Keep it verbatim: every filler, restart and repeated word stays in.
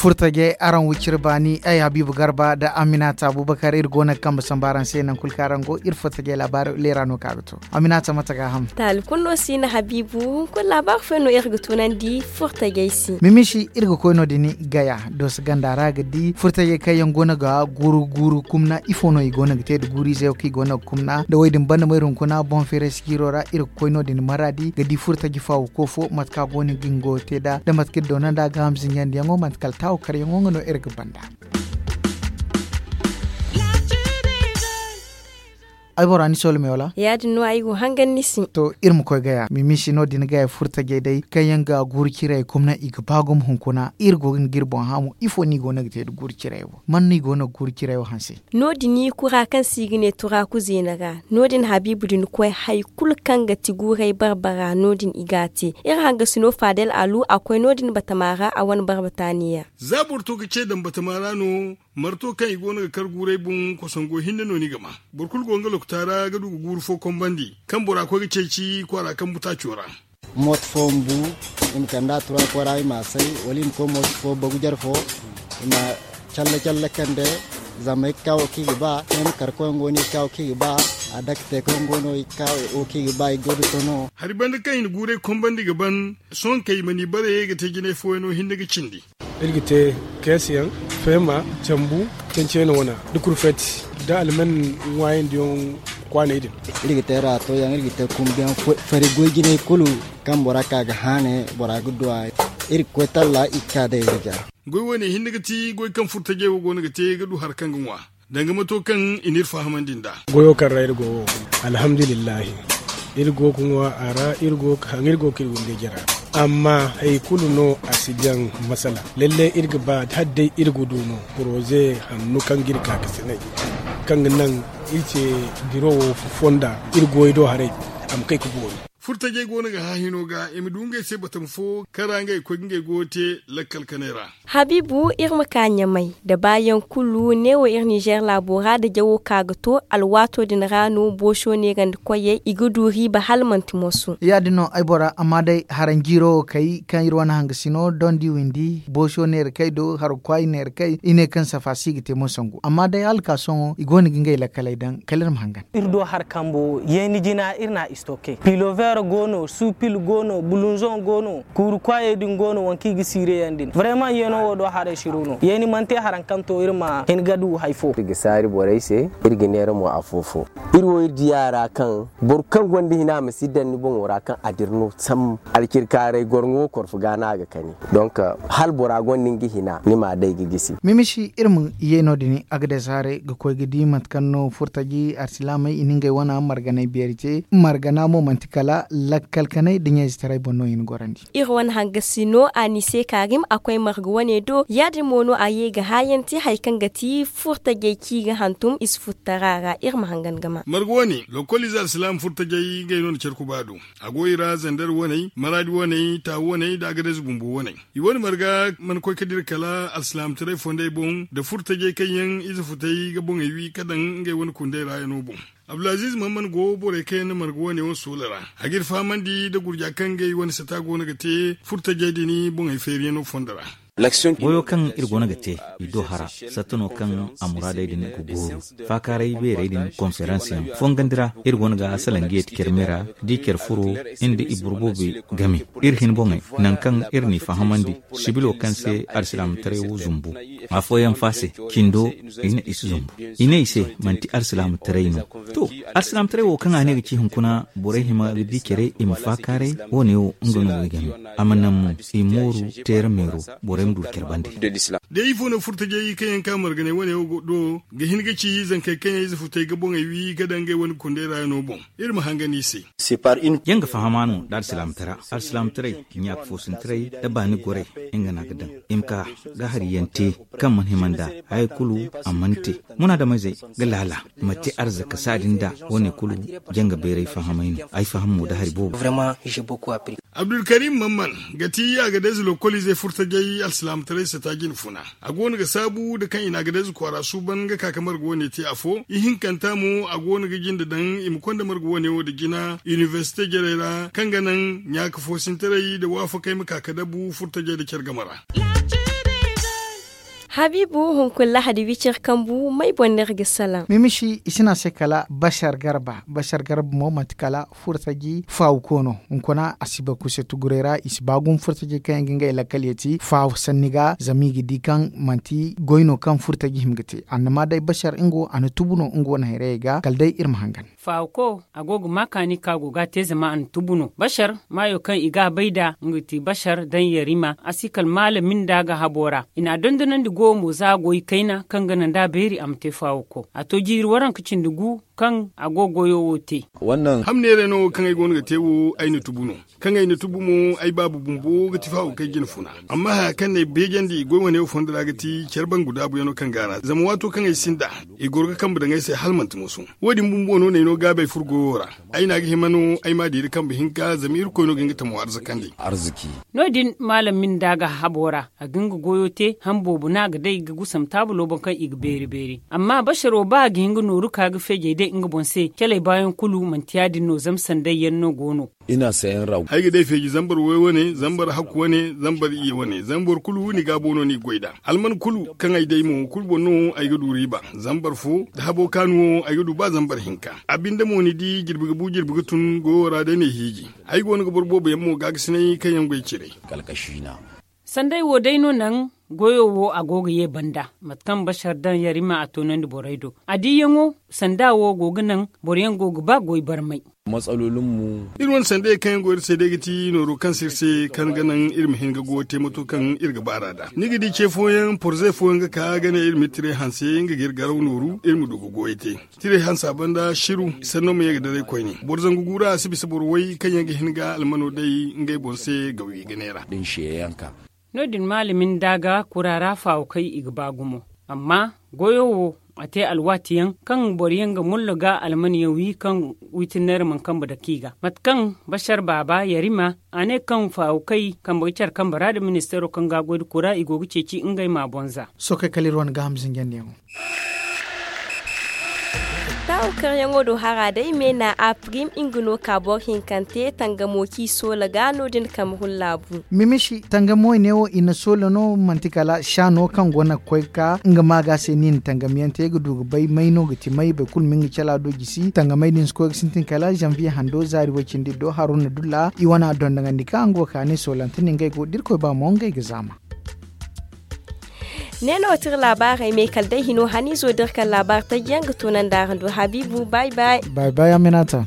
Furtajey araŋ wiciri baani ay habiibu garba nda aminata abubakar iri go no ga kambe samba araŋ se nangu kulu kaŋ araŋ go iri furtajey laabaari leera no kaŋ a ga to. Aminata mate ga a ham? Taali kulu no si na habiibu hunkuna laabaari fooyaŋ no iri ga tunandi furtajey se. Mimisi iri ga koy no- din gaya dooso ganda ra ga di furtajey kaŋ yaŋ go no ga guuru guuru kumna ifo no i go no ga te nda guuru ize wo kaŋ i go no ga kumna nda wo- din banda mayru hunkuna boŋ feeray sijiiro ra iri ga koy no- din maraadi ga di furtaji faawu koofo mate kaŋ a go no ga nga wo te nd'a nda mate kaŋ iri doona nd'a ga ham zinjandiyaŋo mate kala taawo karyaŋo nga no iri ga banda. Ay bora ni soolo me wala? Ya- din no ay go hangan ni se. To iri ma koy gaya mimisi no- din gaya furtajey day kaŋ yaŋ ga guuru ciray kumna i ga ba gumo hunkuna iri go ga ni ga iri boŋ haamu ifo no i go no ga te nda guuru ciray wo man no i go no ga guuru ciray wo hanse? No- din kura kaŋ se i ga ne turaaku zeena ra no- din habiibu din koy hari kulu kaŋ ga ti guuray barbara no- din i ga a te. Iri hangasino faadel alu a koy no- din batama ra a wane barbataaniya. Za boro to ga ce daŋ batama ra no. Marto kaŋ i go no ga kar guuray boŋ kosongo hinne no ni ga ma. Boro kulu go nga lokota ra ga du ga guuru fo kombandi kaŋ bora koy ga ceeci kwaara kambu taaco ra. Mooto fo ma bu i ma kand'a turaako ra i m'a say wala i ma koy mooto fo bagu jare fo i ma calle calle kande. Zama ay ga ka wo kaŋ i ga ba ay ma kar koy nga wo no i ga ka wo kaŋ i ga ba. A dake te koy nga wo no i ga ka wo kaŋ i ga ba i go da to no. Hari banda kaŋ i na guuray kombandi ga ban. Sohõ kay ma ni bare ga te jinay fooyaŋo hinne ga cindi. Iri ga te keesiyaŋ, feema, cambu, cenceno wana da kurfeti da alman ŋwaayandiyaŋ kwaanay din. Iri ga te raato yaŋ iri ga te kumbiyaŋ fari goy jinay kulu. Kaŋ bora ka ga haane bora ga du a iri ga koy talla i ga ka day iri ga. Goy wane hinne ga ti goy kaŋ furtajey wo go no ga te ga du hari kaŋ ga ŋwa. Danga mato kaŋ i n'iri fahamandi nd'a. Goyo kaŋ ra iri go wo, alhamdulillahi. Iri go ga ŋwa a ra iri go ga haŋ iri go ga iri windey jara. Amma hari kulu no a si jaŋ masala. Lalle iri ga ba hala day iri ga du no poroze hanno kaŋ ga iri kaakasinay, kaŋ ga naŋ iri ce biro wo fonda iri goyo do haray. A ma kay ga boori. Furtajey go no ga hã hino ga i ma du ngey se batama fo kaŋ ra ngey ga koy ga ngey goyo te lakkal kanay ra. Habiibu iri ma ka ɲamay da baayaŋ kulu neewo iri ninzeer laabo ra da jawo ka ga to alwaato din ra no booso neerandi koyey i ga du riiba hala manti moso. Ya- din no ay bora amma day haranjiiro wo kay kaŋ iri wane hangasino dondi windi booso neerakey do hargu kwaayi neerakey i ne kaŋ safa si ga te mo sangu amma day hala ka sohõ i go no ga ngey lakkaley daŋ kala iri ma hangan. Iri do hari kambo yeeni jina iri n'a istoke pilover go no supil go no bulunzon go no kuuru kwaayey din go no waŋ kaŋ i ga siire yaŋ din vrayman yeeno wo do haray siru no yeeni mana te haraŋ kaŋ to iri ma hin ga du hari fo. Iri ga saari borey se, iri ga neera mo afo-fo. Iri wo iri diya ra kaŋ boro kaŋ gonda hina ma si daŋ ni boŋo ra kaŋ a dira no sam. Alcirkaaray gorŋo korfo ga no a ga kani. Donk hala bora gonda nga hina ni m'a day ga gisi. Mimisi iri ma ye no- din agades haray ga koy ga di mate kaŋ no furtaji arsilaamey i na ngey wana marganay beeri te. Margana mo manti kala lakkal kanay da ɲayzetaray boŋ no i na gorandi. Iri wane hangasino anise karim a koy marga wane do ya- din mo no a ye ga haayanti hari kaŋ ga ti furtajey kaŋ i ga hantum i si futtara ra iri ma hangan ga ma. Marga wane lokoliize alsilaama furtajey ngey no na care kuba do. A go i ra zander waney maraadi waney taawu waney nda agades bumbo waney. I wane marga mana koy ga dira kala alsilaamataray fondey boŋ nda furtajey kaŋ yaŋ ize futey ga boŋey wi ga daŋ ngey wane kundey ra yaŋo boŋ. Abdulaziiz mahammad go borey kaŋ yaŋ na marga wane wo soola ra. A g'iri fahamandi nda gurja kaŋ ngey wane sata go no ga te furtajey din boŋey feeriyaŋo fondo ra. Goyo kaŋ iri goono ga te i do hara satta no kaŋ a muraadey din ga gooru. Faakaaray beerey din konferansiyaŋ fongandi ra iri goono ga salaŋ ga yeeti care me ra da i care furo nda i boro boobo game. Iri hin boŋey nangu kaŋ iri n'i fahamandi sibilo kaŋ se alsilaamataray wo zumbu. Afooyaŋ fa se cindo i ne i si zumbu. I ne i se manti alsilaamataray no. To, alsilaamataray wo kaŋ a ne ga ci hunkuna borey hima ga di care i ma faakaaray. Wo-ne wo nga no ga game a ma naŋ mo i mooru teera meero. Borey ma du care bande. Day ifo no furtajey kaŋ yaŋ ka marganay wane wo do ga hin ga ci zankey kaŋ yaŋ ize futey ga boŋey wi ga daŋ ngey wane kundey ra yaŋo boŋ. Iri ma hangan i se. Yaŋ ga fahama no nda alsilaamataray. Alsilaamataray ɲaaka foosintaray nda baani goray nga no a ga daŋ i ma ka ga hari yaŋ te kaŋ mana hima nd'a. Haya kulu a mana te. Munaadamizey ga laala ma te arzaka saadi nda wo-ne kulu. Janga beeray fahamay no ay faham mo nda hari boobo. Abdulkarim mamman ga ti agadez lokoliizey furtajey alsilaamataray sata jine funa. A go no ga saabu nda kaŋ i na agadez kwaara suuban ga ka ga marga wane te afo ihinkanta mo a go no ga jinde daŋ i ma konda marga wane wo nda jina inibersite jarey ra kaŋ ga naŋ ɲaaka foosintaray nda waafakey ma ka ga dabu furtajey nda care game ra. Habiibu, hunkuna lahadi wicir kambu may boŋ no iri ga salaŋ? Mimishi i si ne a se kala bashar garba. Bashar garba mo manti kala furtaji faawuko no. Hunkuna a si bay kuse tuguray ra i si ba gumo furtajey kaŋ yaŋ ga ngey lakkal yeti faawu sanni ga zama i ga di kaŋ manti goy no kaŋ furtaji hima ga te. Annama day bashar nga wo a na tubu no nga wane hayrayey ga kala day iri ma hangan. Faawuko a go ga ma kaani kaŋ a go ga a te zama a na tubu no bashar maayo kaŋ i ga a bay nd'a nga ga ti bashar daŋ yarima a si kala maala minda ga habo ra. I n'a dondonandi goyo mo za a go i kayna kaŋ ga naŋ da a beeri a ma te faawuko a to jiiri waranka cindi gu kaŋ a go goyo wo te. Hamneerey no kaŋ ay go no ga te wo ay na tubu no. Kaŋ ay na tubu mo ay baabu bumbo ga ti faawukay jine funa. Amma haya kaŋ n'ay beejandi goy wane wo fondo ra ga ti care bangu daabuyaŋo kaŋ go a ra zama waato kaŋ ay sinda i goro ga kambe daŋ ay se hala manti moso. Wo- din bumbo no n'ay no gaabay furo goyo ra. Ay n'a ga hima no ay m'a diiri kambe hinka zama irkoy no ga nga tamo arzakandi. No- din maalam minda ga habo ra a ga nga goyo te han boobo no a ga day ga gusam taabulo boŋ kaŋ i ga beeri beeri. Amma basharo ba a ga hin ga nooru ka ga feejey day nga boŋ se calay baayaŋ kulu manti ya- din no zama sanday yaŋ no go no. Ay ga day feeji zambar way wane zambar hakku wane zambar iyye wane zambar kulu ni gaabo no ni ga goy nd'a. Alman kulu kaŋ ay day mo kulu boŋ no ay ga du riiba. Zambar fo da habo kaanu wo ay ga du ba zambar hinka. A binde mo ni di jirbi ga bu jirbi ga tun goyo ra day n'ay hiiji. Ay go no ga boro boobo yaŋ mo gaagasinay kaŋ yaŋ goy cire. Sanday wo day no naŋ goyo wo a go ga ye banda mate kaŋ bashar daŋ yarima a toonandi borey do. A diiyaŋo sanda wo go ga naŋ boro yaŋ go ga ba goy barmay. Iri wane sanday kaŋ yaŋ go iri se day ga ti nooro kaŋ se iri se kaŋ ga naŋ iri ma hin ga goyo te mato kaŋ iri ga baar'a nd'a ni ga di ce fooyaŋ porze fooyaŋ ga ka ga ne iri ma iri tire hanse nga ga iri garaw nooru iri ma du ga goyo te. Tire hansa banda siru sanno ma ye ga daray koyne boro zangu guura a si bisa boro way kaŋ yaŋ ga hin ga almano day ngey boŋ se gawi ga neera. No- din maalamin da ga kura ra faawo kaŋ i ga ba gumo. Amma goyo wo a te alwaati yaŋ kaŋ boro yaŋ ga mollo ga almaniyaŋ wi kaŋ wiitinneera mana kambe dake i ga mate kaŋ bashar baaba yarima a ne kaŋ faawo kay kambe ga care kambe ra nda ministeero kaŋ ga a goy nda kura i go ga ceeci ngey ma boŋ za. Sookey kala iri wane gaaham zinjandiyaŋo. Taawu karyaŋo do hara day meena a prim nga no ka boro hinkante tangamo kaŋ i soola ga no- din kambe hullaabu. Mimisi tangamo i ne wo i na soola no manti kala saano kaŋ go na ga koy ga ka nga maaga se no i na tangamiyaŋ te ga du ga bay may no ga ti may boro kulu ma nga cala do jisi tangamey din si koy ga sintin kala zanviye hando zaari way-cindi do haruna dulla i wane a dondonandi kaŋ a nga wo kaani soolante no ngey go da irkoy ba mo ngey ga zaama. Ne no ti iri laabaarey me kala day hino haniizo da iri kaŋ laabaari taji yaŋ ga toonandi araŋ do habiibu bay bay. Bay bay aminata.